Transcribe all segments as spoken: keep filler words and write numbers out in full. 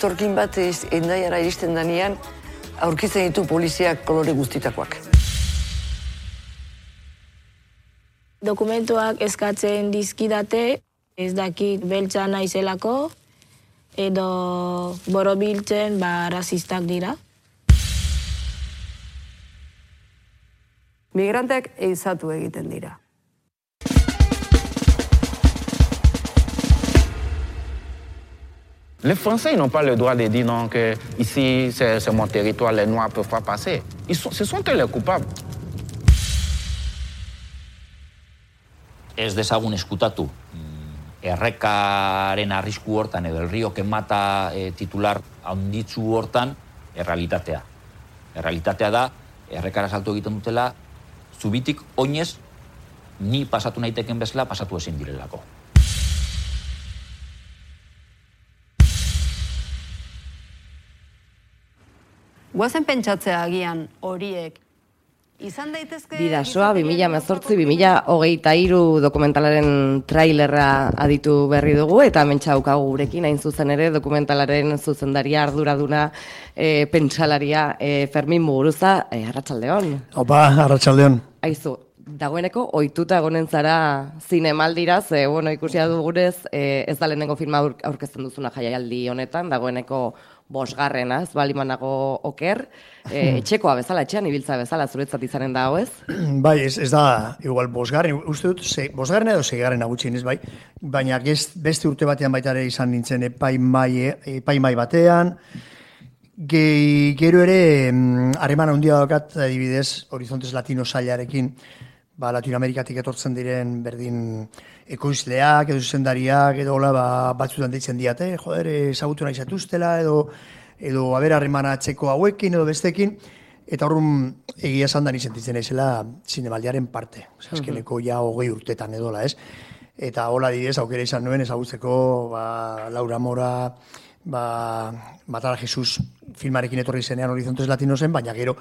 etorkin bat Hendaiara iristen danean, aurkitzen ditu poliziak kolore guztitakoak. Dokumentuak eskatzen dizkidate, ez dakit beltza naizelako, edo borobiltzen ba rasistak dira. Migranteak ehizatu egiten dira. Les Français n'ont pas le droit de dire non, que ici c'est mon territoire, les Noirs ne peuvent pas passer. Ils sont, ce sont eux les coupables. Ez dezagun eskutatu errekaren arrisku hortan edo el río que mata e, titular handitzu hortan errealitatea. Errealitatea da, errekara salto egiten dutela, zubitik oinez ni pasatu naiteken bezala pasatu ezin direlako. Guazen pentsatzea agian horiek izan daitezke... Bidasoa, bi mila hemezortzi bi mila hogeita hiru dokumentalaren trailerra aditu berri dugu, eta hementsa daukagu gurekin hain zuzen ere dokumentalaren zuzendaria arduraduna e, pentsalaria e, Fermin Muguruza, e, arratsaldeon. Opa, arratsaldeon. Aizu, dagoeneko ohituta egonen zara zinemaldira, ze bueno, ikusia dugunez, e, ez da lehenengo filma aurkezten duzuna jaialdi honetan, dagoeneko bosgarrena, ez balimanago oker, e, etxekoa bezala, etxean ibiltza bezala, zuretzat izanen da, ez? Bai, ez, ez da, igual, bosgarren, uste dut, ze, bosgarren edo zeigarren agutxin, ez bai, baina gest, beste urte batean baita ere izan nintzen epaimai, epaimai batean, Ge, gero ere, harreman handia daukat, adibidez, Horizontes Latino sailarekin, ba, Latinoamerikatik etortzen diren berdin ekoizleak, edo zuzendariak, edo hola, ba, batzutan deitzen diate, joder, ezagutu nahi zatuztela, edo, edo haber harremana atzeko hauekin, edo bestekin, eta horren egia esan da ni sentitzen naizela zinemaldiaren parte. Osa, azkeneko ja hogei urtetan edola, ez? Eta hola adibidez, aukera izan nuen ezagutzeko, ba, Laura Mora, ba, Matar a Jesus filmarekin etorri zenean Horizontes Latinosen, baina gero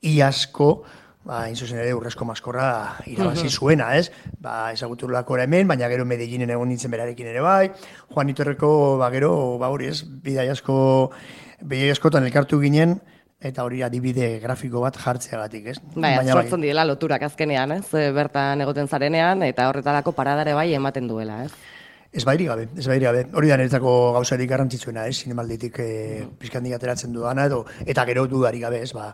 iazko, ba, inzuzen ere Urrezko Maskorra irabazi zuena, ez? Ba, ezaguturlako hemen, baina gero Medellinen egon nintzen berarekin ere bai, Juanito Herreko, ba, gero, ba, hori ez, bidai asko, bidai askotan elkartu ginen, eta hori adibide grafiko bat jartzeagatik, ez? Bai, sortzen direla loturak azkenean, ez? Bertan egoten zarenean, eta horretarako paradare bai ematen duela, ez? Ez bairi gabe, ez bairi gabe. Hori da niretzako gauzarik garrantzitsuena, ez? Zinemalditik e, pizkandik ateratzen dudana, edo, eta gero dudarik gabe, ez? Ba,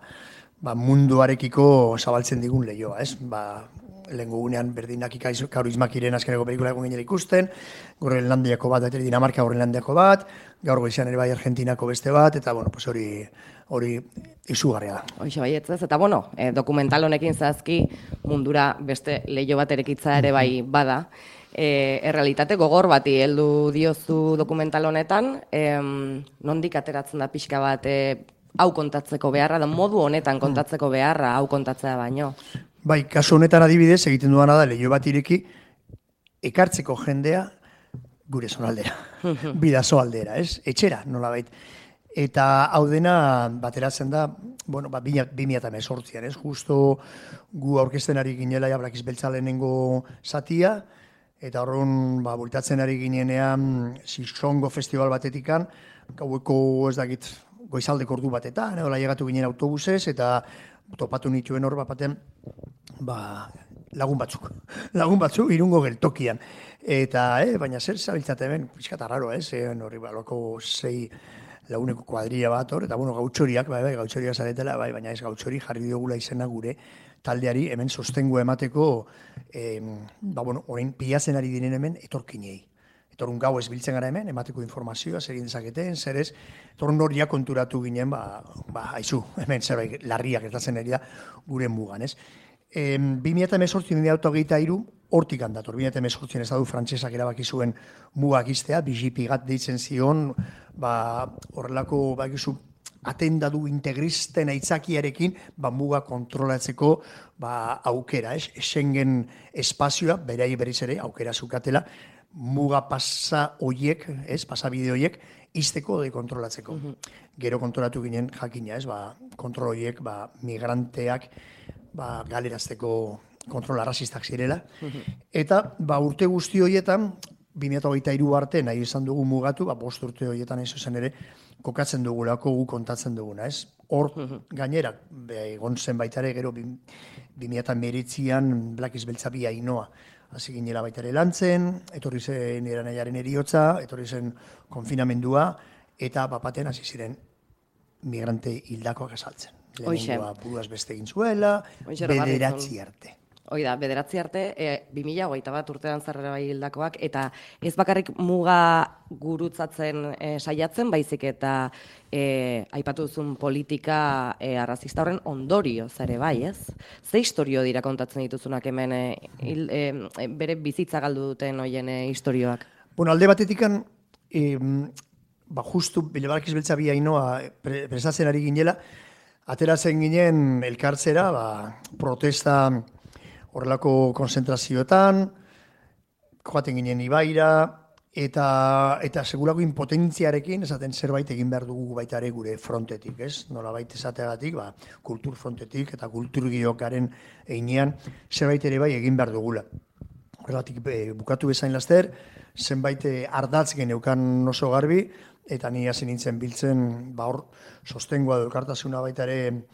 ba, munduarekiko zabaltzen digun lehioa, ez? Ba, lehengo gunean berdinak Kaurismakiren azkeneko pelikula egon ginen ikusten, Groenlandiako bat, eta Dinamarka Groenlandiako bat, gaur goizean ere bai Argentinako beste bat, eta bueno, pues hori hori izugarria da. Hoxe baietzez, eta bueno, eh, dokumental honekin zazki mundura beste lehio bat erekitza ere bai bada, E, errealitate gogor bati heldu diozu dokumental honetan, em, nondik ateratzen da pixka bat e, hau kontatzeko beharra, da modu honetan kontatzeko beharra hau kontatzea baino. Bai, kasu honetan adibidez egiten duana da leiho bat ireki ekartzeko jendea gure zonaldera, Bidaso aldera, ez? Etxera, nolabait. Eta hau dena bateratzen da, bueno, ba, bi mila hemezortzian, ez? Justo gu aurkezten ari ginela ja Blakiz Beltza lehenengo zatia, eta horren, ba, bultatzen ari ginenean Sisongo festival batetikan, gaueko ez dakit goizaldeko ordu batetan, edo llegatu ginen autobusez, eta topatu nituen hor baten, ba, lagun batzuk, lagun batzuk irungo geltokian. Eta, eh, baina zer zabiltzate hemen, pixkat arraro, ez, eh, horri baloko sei laguneko kuadrilla bat hor, eta bueno, gautxoriak, bai, bai, gautxoria zaretela, bai, baina ez gautxori jarri diogula izena gure taldeari hemen sostengu emateko, eh, ba, bueno, orain pilatzen ari diren hemen etorkinei. Etorun gau ez biltzen gara hemen, emateko informazioa, zer egin dezaketen, zer ez, etorun horia konturatu ginen, ba, ba, haizu, hemen zerbait larriak gertatzen ari da gure mugan, ez. E, bi mila hemezortzi, bi mila hogeita hiru, hortik handator, bi mila hemezortzi ez dadu frantsesak erabaki zuen mugak iztea, B G P gat deitzen zion, ba, horrelako, ba, egizu, atendadu integristen aitzakiarekin, ba, muga kontrolatzeko, ba, aukera, ez? Schengen espazioa, berai berriz ere, aukera zukatela, muga pasa hoiek, ez, pasabide hoiek, izteko de kontrolatzeko. Uh -huh. Gero kontrolatu ginen jakina, ez, ba, kontrol hoiek, ba, migranteak, ba, galerazteko kontrol arrazistak zirela. Uh -huh. Eta, ba, urte guzti horietan, bi mila hogeita hiru arte nahi izan dugu mugatu, ba, bost urte horietan ez zuzen ere, kokatzen dugulako gu kontatzen duguna, ez? Hor, gainera, egon zen baita ere, gero, bi mila hemeretzian Black Beltza bi Ainoa, hasi ginela baita ere lantzen, etorri zen eranaiaren eriotza, etorri zen konfinamendua, eta bapaten hasi ziren migrante hildakoak esaltzen. Lehenengoa buruaz beste egin zuela, bederatzi arte. Hoi da, bederatzi arte, e, bi mila hogeita bat urtean zarrera bai hildakoak, eta ez bakarrik muga gurutzatzen e, saiatzen, baizik eta e, aipatu duzun politika e, arrazista horren ondorio zare bai, ez? Ze historio dira kontatzen dituzunak hemen e, il, e, bere bizitza galdu duten hoien e, historioak? Bueno, alde batetikan, e, ba, justu, Black Beltza bi Ainoa pre, prestatzen ari ginela, ateratzen ginen elkartzera, ba, protesta horrelako konzentrazioetan, joaten ginen Ibaira, eta, eta segurako impotentziarekin, esaten zerbait egin behar dugu baita ere gure frontetik, ez? Nola baita esateagatik, ba, kultur frontetik eta kultur giokaren einean zerbait ere bai egin behar dugula. Horregatik e, bukatu bezain laster, zenbait ardatz geneukan oso garbi, eta ni hasi nintzen biltzen, ba hor, sostengoa du elkartasuna baita ere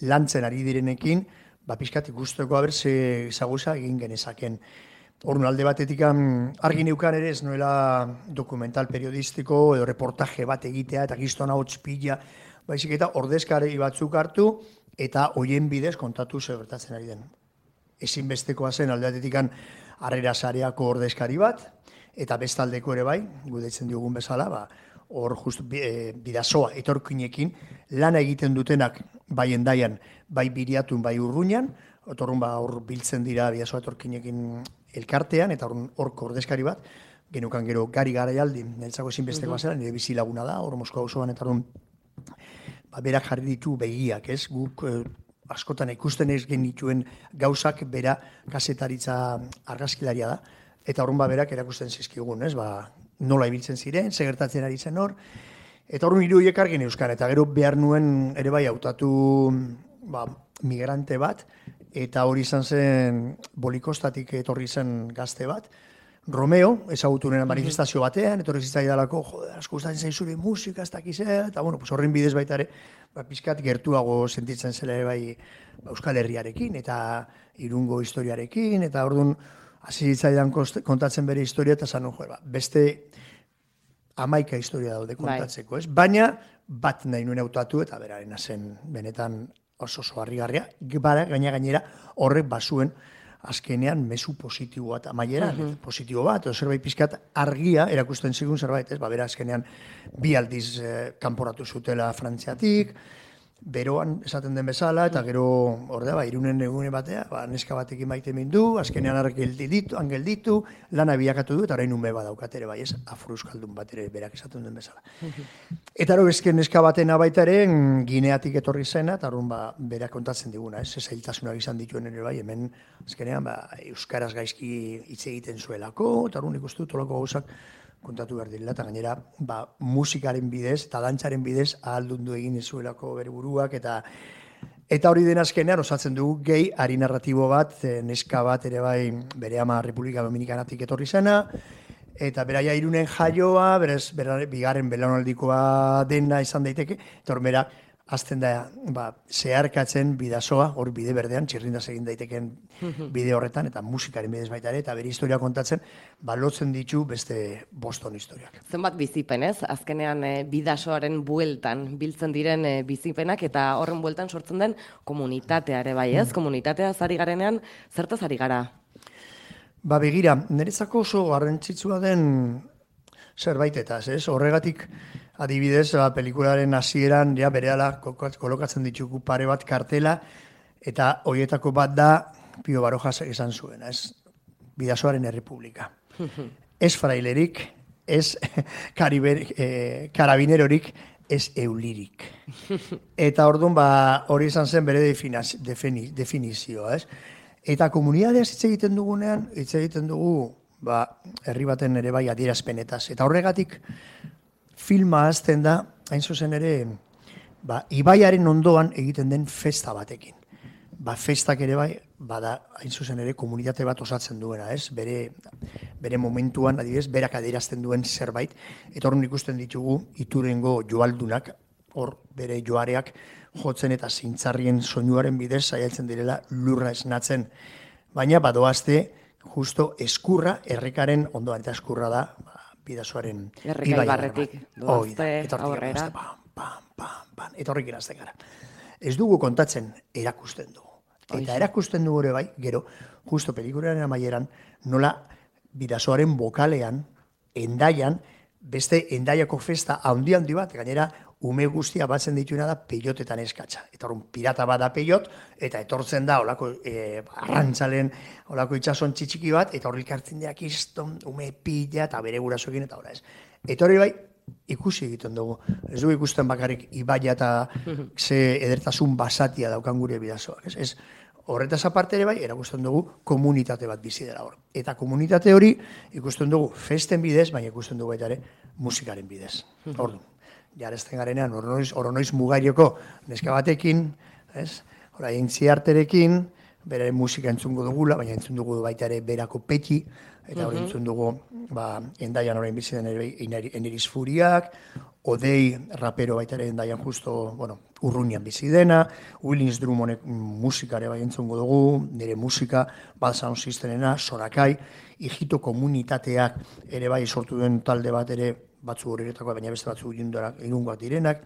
lantzen ari direnekin, ba, pixkat ikusteko haber ze zaguza egin genezaken. Horren alde batetik argi neukan ere ez nuela dokumental periodistiko edo reportaje bat egitea eta giztona hotz pila, baizik eta ordezkari batzuk hartu eta hoien bidez kontatu ze gertatzen ari den. Ezinbestekoa zen alde batetik harrera sareako ordezkari bat, eta bestaldeko ere bai, gudetzen diogun bezala, ba, hor just e, bidasoa etorkinekin lana egiten dutenak bai endaian, bai biriatun, bai urruñan, otorrun ba hor biltzen dira bidasoa etorkinekin elkartean, eta hor ordezkari bat, genukan gero Gari Garaialdi, neltzako ezinbestekoa zela, nire bizilaguna da, hor Moskva osoan, eta hor ba, berak jarri ditu begiak, ez, guk eh, askotan ikusten ez genituen gauzak bera kasetaritza argazkilaria da, eta horren ba berak erakusten zizkigun, ez, ba, nola ibiltzen ziren, segertatzen ari zen hor, eta horren irudiek argin euskan, eta gero behar nuen ere bai hautatu ba, migrante bat, eta hori izan zen Bolikostatik etorri zen gazte bat, Romeo, ezagutu nena manifestazio batean, etorri zitzaidalako, jode, asko gustatzen zaizure musika, ez dakizea, eta bueno, pues horren bidez baita ere, ba, pizkat gertuago sentitzen zela ere bai ba, Euskal Herriarekin, eta Irungo historiarekin, eta orduan, hasi zitzaidan kontatzen bere historia, eta zan, jo, ba, beste hamaika historia daude kontatzeko, ez? Baina, bat nahi nuen hautatu, eta berarena zen benetan oso oso harrigarria, gaina gainera horrek bazuen azkenean mezu positibo bat, amaieran, uh -huh. positibo bat, o zerbait pizkat argia erakusten zigun zerbait, ez? Ba, bera azkenean bi aldiz eh, kanporatu zutela Frantziatik, beroan esaten den bezala, eta gero, ordea, ba, Irunen egune batea, ba, neska batekin maite mindu, azkenean argelditu, angelditu, lana bilakatu du, eta orain ume badaukat ere, bai, ez, afroeuskaldun bat ere berak esaten den bezala. Eta hori ezken neska batena baita ere, Gineatik etorri zena, eta horren ba, berak kontatzen diguna, ez, zailtasunak izan dituen ere, bai, hemen, azkenean, ba, euskaraz gaizki hitz egiten zuelako, eta horren ikustu tolako gauzak, kontatu behar direla, eta gainera, ba, musikaren bidez, eta dantzaren bidez, ahaldundu egin zuelako bere buruak, eta eta hori den azkenean, osatzen dugu gehi, ari narratibo bat, neska bat ere bai, bere ama Republika Dominikanatik etorri zena, eta beraia Irunen jaioa, berez, bera, bigarren belaunaldikoa dena izan daiteke, eta hor bera, azten da, ba, zeharkatzen bidasoa, hor bide berdean, txirrindaz egin daiteken bide horretan, eta musikaren bidez baita ere, eta bere historia kontatzen, balotzen ditu beste Boston historiak. Zenbat bizipen, ez? Azkenean e, bidasoaren bueltan biltzen diren e, bizipenak, eta horren bueltan sortzen den komunitatea ere bai, ez? Komunitatea zari garenean, zertaz ari gara? Ba, begira, niretzako oso garrantzitsua den zerbaitetaz, ez? Horregatik, adibidez, ba, pelikularen hasieran ja berehala kolokatzen ditugu pare bat kartela, eta horietako bat da Pio Barojas esan zuena, ez? Bidasoaren Errepublika. Ez frailerik, ez eh, karabinerorik, ez eulirik. Eta orduan, ba, hori izan zen bere defini, definizioa, ez? Eta komunitateaz hitz egiten dugunean, hitz egiten dugu, ba, herri baten ere bai adierazpenetaz. Eta horregatik, filma azten da, hain zuzen ere, ba, ibaiaren ondoan egiten den festa batekin. ba, festak ere bai, bada, hain zuzen ere, komunitate bat osatzen duena, ez? Bere, bere momentuan, adibidez, berak adierazten duen zerbait, eta hor ikusten ditugu Iturengo joaldunak, hor bere joareak jotzen eta zintzarrien soinuaren bidez saiatzen direla lurra esnatzen. Baina badoazte, justo eskurra, errekaren ondoan, eta eskurra da, ba, Bidasoaren Errekai barretik, doazte, aurrera. Pam, pam, pam, pam, eta horrik irazten gara. Ez dugu kontatzen, erakusten dugu. Eta erakusten dugu ere bai, gero, justo pelikularen amaieran, nola Bidasoaren bokalean, Endaian, beste Endaiako festa handi handi bat, gainera, ume guztia batzen dituena da peiotetan eskatza. Eta horren pirata bada peiot, eta etortzen da olako e, arrantzalen, olako itxason txitxiki bat, eta horrik hartzen deak izton, ume pila, eta bere gurasoekin, eta hori ez. Eta hori bai, ikusi egiten dugu. Ez dugu ikusten bakarrik ibaia eta ze edertasun basatia daukan gure Bidasoak. Ez, ez horretaz aparte ere bai, erakusten dugu komunitate bat bizi dela hor. Eta komunitate hori ikusten dugu festen bidez, baina ikusten dugu baita ere musikaren bidez. Ordu. Jarezten garenean, oronoiz, oronoiz mugarioko neska batekin, ez? Hora, entziarterekin, bere musika entzungo dugula, baina entzun dugu baita ere berako peti, eta hori entzun dugu, ba, Endaian orain bizi den Eneriz Furiak, Odei rapero baita ere Endaian justo, bueno, Urruñan bizi dena, Willins Drummonek musikare bai entzungo dugu, nire musika, Bad Sound Systemena, Sorakai, Ijito komunitateak ere bai sortu duen talde bat ere, batzu horretakoa, baina beste batzu irungoak direnak.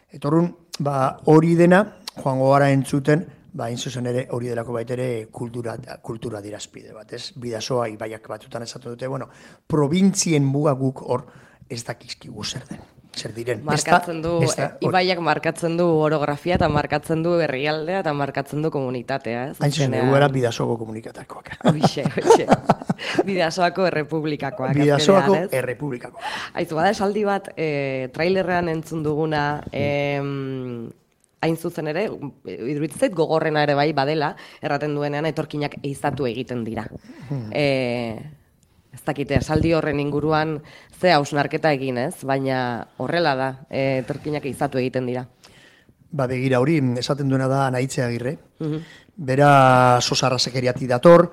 Eta horren, ba, hori dena, joango gara entzuten, ba, zuzen ere hori delako baita ere kultura, kultura dirazpide bat, ez? Bidasoa ibaiak batutan esatu dute, bueno, provintzien muga guk hor ez dakizkigu zer den. Zer diren. Markatzen du, ibaiak markatzen du orografia eta markatzen du herrialdea eta markatzen du komunitatea, ez? Hain zuzen, egu era Bidasoako komunikatakoak. Hoxe, hoxe. Bidasoako errepublikakoak. Bidasoako errepublikakoak. Aizu, bada esaldi bat, e, trailerrean entzun duguna, e, hain zuzen ere, iduritzait gogorrena ere bai badela, erraten duenean etorkinak eizatu egiten dira. Hmm. E, ez dakite, esaldi horren inguruan ze hausnarketa egin ez, baina horrela da, e, etorkinak eizatu egiten dira. Ba, begira hori, esaten duena da Anaitze Agirre. Uh-huh. Bera sosarrazekeriati dator,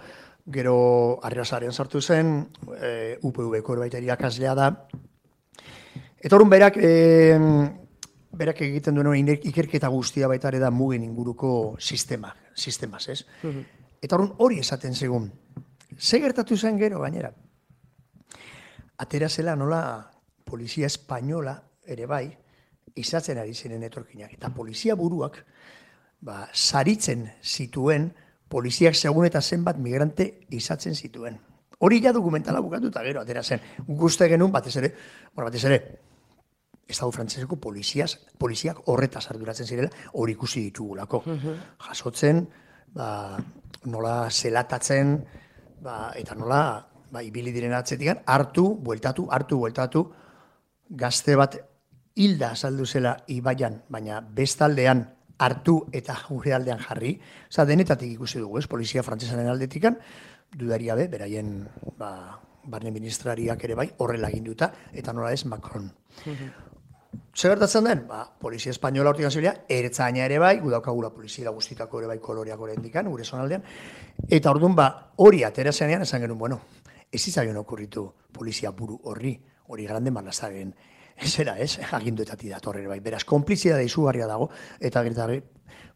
gero Arrasaren sartu zen, e, U P V-ko baita irakaslea da. Eta horren berak, e, berak egiten duen ikerketa guztia baita ere da mugen inguruko sistema, sistemaz, ez? Uh-huh. Eta horren hori esaten segun. Ze gertatu zen gero, gainera? Atera zela nola polizia espainola ere bai, izatzen ari ziren etorkinak. Eta polizia buruak, ba, saritzen zituen, poliziak segun eta zenbat migrante izatzen zituen. Hori ja dokumentala bukatuta gero, atera zen. Guste genuen, batez ere, bueno, batez ere, Estado frantzeseko poliziaz, poliziak horretaz arduratzen zirela, hori ikusi ditugulako. Uh-huh. Jasotzen, ba, nola zelatatzen, ba, eta nola, ba, ibili diren atzetikan, hartu, bueltatu, hartu, bueltatu, gazte bat hilda azaldu zela ibaian, baina bestaldean hartu eta gure aldean jarri. Oza, denetatik ikusi dugu, ez, polizia frantzesaren aldetikan, dudaria be, beraien, ba, barne ministrariak ere bai, horrela ginduta, eta nola ez, Macron. Zer gertatzen den? Ba, polizia espainola hortik zibila, ertzaina ere bai, gu daukagula polizia guztitako ere bai koloreak orendikan, gure zonaldean, eta orduan ba, hori atera zenean esan genuen, bueno, ez izaion okurritu polizia buru horri, hori grande malazaren, ez era ez, aginduetati datorre bai, beraz, konplizia da izugarria dago, eta gertarri,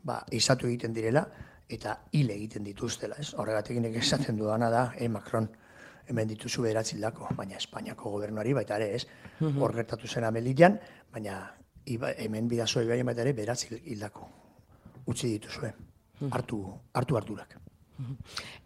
ba, izatu egiten direla, eta hile egiten dituztela, ez, horregatik esaten dudana da, eh, Macron, hemen dituzu bederatzi hildako, baina Espainiako gobernuari baita ere ez, hor gertatu zen Amelian, baina iba, hemen Bidasoa ibaien baita ere bederatzi hildako utzi dituzue, hartu, hartu harturak.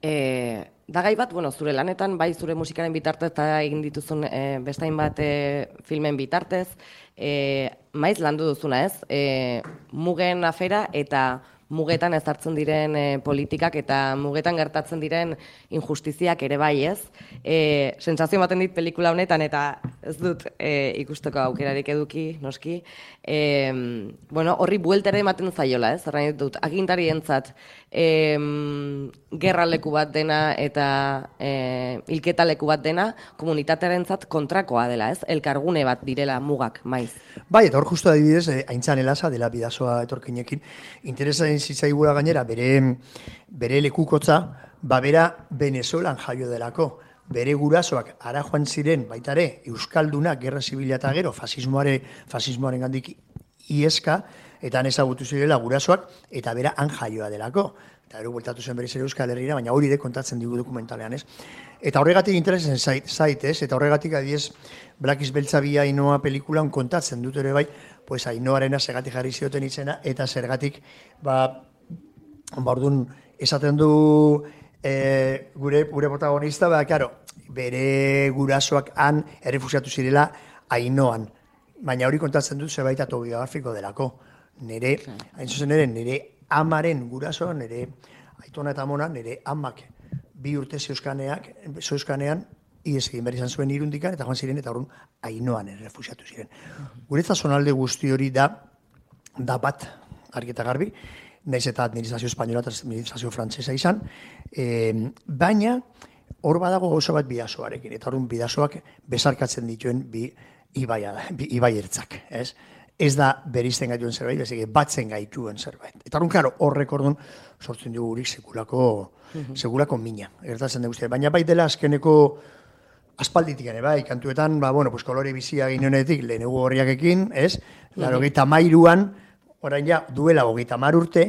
E, da gai bat, bueno, zure lanetan, bai zure musikaren bitartez eta egin dituzun e, bestain bat e, filmen bitartez, e, maiz landu duzuna ez, e, mugen afera eta mugetan ezartzen diren e, politikak eta mugetan gertatzen diren injustiziak ere bai ez. E, sensazio ematen dit pelikula honetan eta ez dut e, ikusteko aukerarik eduki, noski. E, bueno, horri bueltere ematen zaiola ez, erran dut, agintarientzat e, gerraleku bat dena eta e, hilketaleku bat dena komunitatearentzat kontrakoa dela ez, elkargune bat direla mugak maiz. Bai, eta hor justu adibidez, eh, aintzan elasa dela Bidasoa etorkinekin, interesa egin zitzaigula gainera, bere, bere lekukotza, ba bera Venezuelan jaio delako. Bere gurasoak ara joan ziren, baita ere, Euskaldunak, gerra zibila eta gero, fasismoare, fasismoaren gandik ieska, eta han ezagutu zirela gurasoak, eta bera han jaioa delako. Eta gero bueltatu zen berriz ere Euskal Herrira, baina hori de kontatzen digu dokumentalean, ez? Eta horregatik interesen zait, zait, ez? Eta horregatik adiez, Blakiz Beltza bi Ainoa pelikulan kontatzen dut ere bai, pues Ainoarena zergatik jarri zioten izena, eta zergatik, ba, ba orduan, esaten du e, gure, gure protagonista, ba, karo, bere gurasoak han errefusiatu zirela Ainoan. Baina hori kontatzen dut zerbait autobiografiko delako. Nere, hain zuzen ere, nire amaren gurasoa, nire aitona eta amona, nire amak bi urte zeuzkaneak, zeuzkanean, ies egin behar izan zuen Irundikan, eta joan ziren, eta horren Ainoan errefusiatu ziren. Guretzat zonalde guzti hori da, da bat, argi eta garbi, naiz eta administrazio espainola eta administrazio frantsesa izan, e, baina hor badago gauza bat bidasoarekin, eta horren bidasoak bezarkatzen dituen bi ibaia da, bi ibai ertzak, ez? Ez da berizten gaituen zerbait, bezik batzen gaituen zerbait. Eta horren, klaro, horrek orduan sortzen dugu gurik sekulako, sekulako mina, gertatzen dugu guztia. Baina bai dela azkeneko aspalditik ere, bai, kantuetan, ba, bueno, pues kolore bizia ginenetik lehenegu horriakekin, ez? Laro geita mairuan, orain ja, duela hogeita mar urte,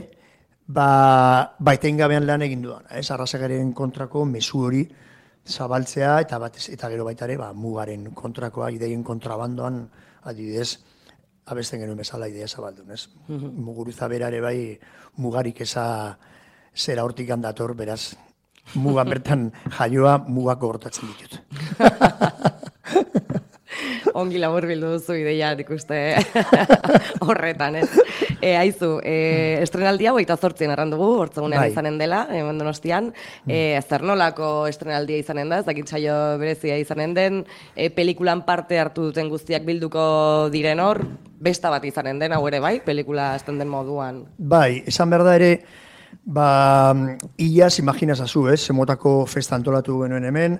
ba, baiten gabean lan egin dudan, ez? Arrazagaren kontrako mezu hori zabaltzea, eta batez, eta gero baita ere, ba, mugaren kontrakoa, ideien kontrabandoan, adibidez, abesten genuen bezala idea zabaldun, ez? Muguruza bera ere bai, mugarik eza zera hortik handator, beraz, mugan bertan jaioa mugako hortatzen ditut. Ongi labur bildu duzu ideia, ikuste horretan, ez? E, aizu, e, estrenaldia hogeita zortzien arrandugu, hortzegunean bai. Izanen dela, hemen Donostian, e, zer nolako estrenaldia izanen da, ez dakit saio berezia izanen den, e, pelikulan parte hartu duten guztiak bilduko diren hor, besta bat izanen den, hau ere bai, pelikula esten den moduan. Bai, esan behar da ere, ba, iaz, imaginazazu, ez, zemotako festa antolatu genuen hemen,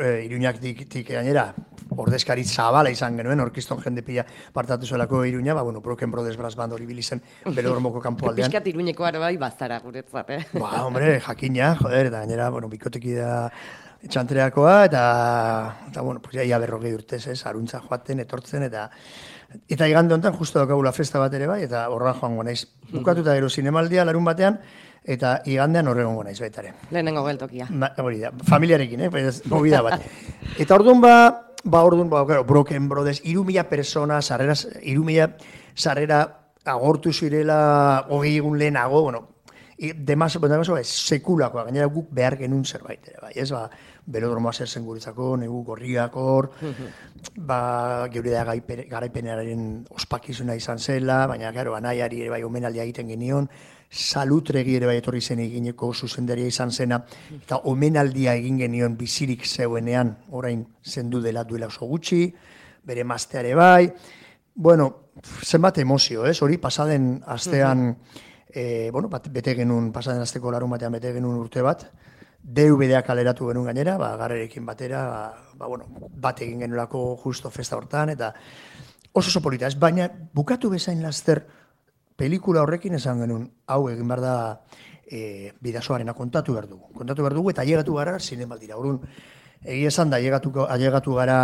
e, Iruñak tik gainera, ordezkari zabala izan genuen, orkiston jende pila partatu zuelako Iruña, ba, bueno, Broken Brothers Brass Band hori bilizen Belodromoko kanpo aldean. Piskat Iruñeko ara bai bazara guretzat, eh? Ba, hombre, jakina, joder, eta gainera, bueno, bikoteki da txantreakoa, eta, eta bueno, pues ya berrogei urtez, ez, aruntza joaten, etortzen, eta eta igande honetan justo daukagula festa bat ere bai, eta horra joango naiz. Bukatuta gero zinemaldia larun batean, eta igandean horregongo naiz baita ere. Lehenengo geltokia. Ma, hori da, familiarekin, eh, pues, movida bat. Eta orduan ba, ba orduan, ba, claro, Broken Brothers, iru mila persona, sarrera, iru mila sarrera agortu zirela, hogei egun lehenago, bueno, demaso, demaso, ez, sekulakoa, gainera guk behar genuen zerbait ere, bai, ez, ba, Belodromoa zer zen guretzako, negu gorriak hor, ba, geure da garaipenaren ospakizuna izan zela, baina, gero, anaiari ere bai omenaldia egiten genion, Salutregi ere bai etorri zen egineko zuzendaria izan zena, eta omenaldia egin genion bizirik zeuenean, orain zendu dela duela oso gutxi, bere mazteare bai, bueno, zenbat emozio, ez, hori pasaden astean, e, bueno, bat, bete genuen, pasaden asteko larun batean bete genuen urte bat, D V D-ak kaleratu genuen gainera, ba, garrerekin batera, ba, ba, bueno, bat egin genuelako justo festa hortan, eta oso oso polita, ez, baina bukatu bezain laster pelikula horrekin esan genuen, hau egin behar da e, bidasoarena kontatu behar dugu. Kontatu behar dugu eta ailegatu gara zinemaldira. Orduan, egia esan da ailegatu gara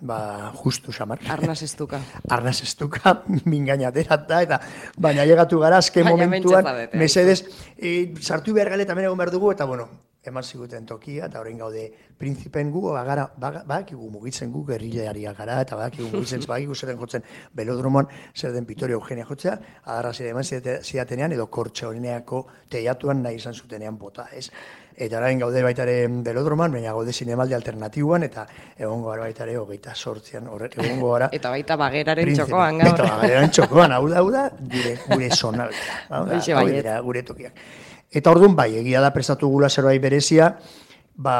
ba, justu xamar. Arnaz estuka. Arnaz estuka, mingainaterat da, eta baina ailegatu gara azken momentuan, mesedez, e, sartu behar gale eta egon behar dugu, eta bueno, eman ziguten tokia, eta orain gaude prinzipen gu, bagara, badakigu mugitzen gu, gerrilariak gara, eta badakigu mugitzen, badakigu zer den jotzen Belodromoan, zer den Vitorio Eugenia jotzea, adarra zire eman zidatenean, edo Kortxoneako teiatuan nahi izan zutenean bota, ez? Eta orain gaude baitaren Belodromoan, baina gaude zinemaldi alternatiboan, eta egongo gara baitare hogeita sortzian, egongo gara... Eta baita bageraren txokoan gaur. Eta bageraren txokoan, hau da, hau da, gure, gure zonaldea, hau da, gure tokiak. Eta orduan bai, egia da prestatu gula zerbait berezia, ba,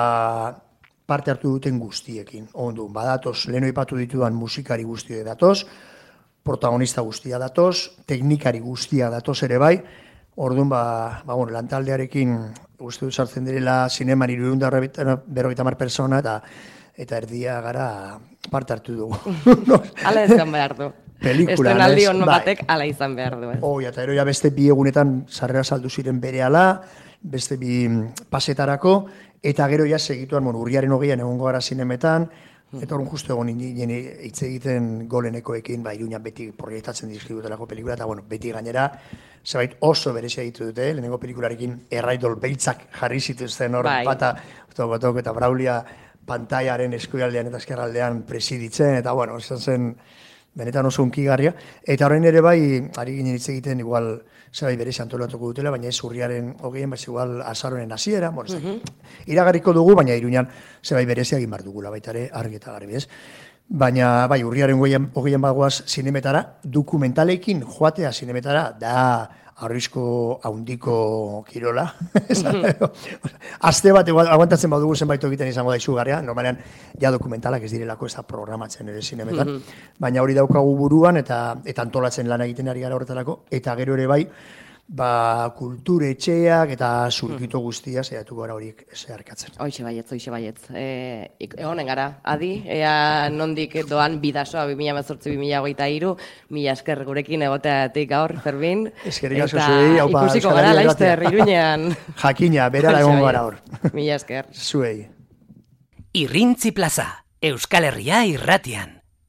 parte hartu duten guztiekin. Ondun, badatoz, leheno ipatu ditudan musikari guztia datoz, protagonista guztia datoz, teknikari guztia datoz ere bai, orduan, ba, ba bueno, lantaldearekin uste du sartzen direla zineman hirurehun eta berrogeita hamar persona, eta eta erdia gara parte hartu dugu. Hala ezkan behar du. pelikulan, Estrenaldi ez? on Bai. batek ala izan behar du, ez? Hoi, eta eroia beste bi egunetan sarrera saldu ziren berehala, beste bi pasetarako, eta gero ja segituan, bueno, urriaren hogeian egongo gara zinemetan, eta orduan justu egon nien hitz egiten golenekoekin, ba, Iruñan beti proiektatzen dizkidutelako pelikula, eta bueno, beti gainera, zebait oso berezia ditu dute, lehenengo pelikularekin erraidol beltzak jarri zituzten hor, Bai. Pata, Batok eta Braulia pantaiaren eskualdean eta eskerraldean presiditzen, eta bueno, izan zen benetan oso unkigarria. Eta horrein ere bai, ari ginen hitz egiten, igual, zerbait berezi antolatuko dutela, baina ez urriaren hogeien, baiz igual azaroren hasiera, bueno, ez da, iragarriko dugu, baina Iruñan zerbait berezi egin behar dugula, baita ere argi eta garbi, ez? Baina, bai, urriaren hogeien bagoaz zinemetara, dokumentalekin joatea zinemetara, da arrisku haundiko kirola. Aste bat aguantatzen badugu zenbait egiten izango da izugarria, normalean ja dokumentalak ez direlako ez da programatzen ere zinemetan, baina hori daukagu buruan eta eta antolatzen lan egiten ari gara horretarako, eta gero ere bai, ba, kulturetxeak eta zurkito guztia saiatu gara horiek zeharkatzen. Hoixe baietz, hoixe baietz. E, egonen gara, adi, ea nondik doan bidasoa bi mila hemezortzi bi mila hogeita hiru, mila esker gurekin egoteatik gaur, Fermin. Eskerrik asko zuei, haupa, ikusiko gara laizter Iruñean. Jakina, berara egon gara hor. Mila esker. Zuei. Irrintzi plaza, Euskal Herria irratian.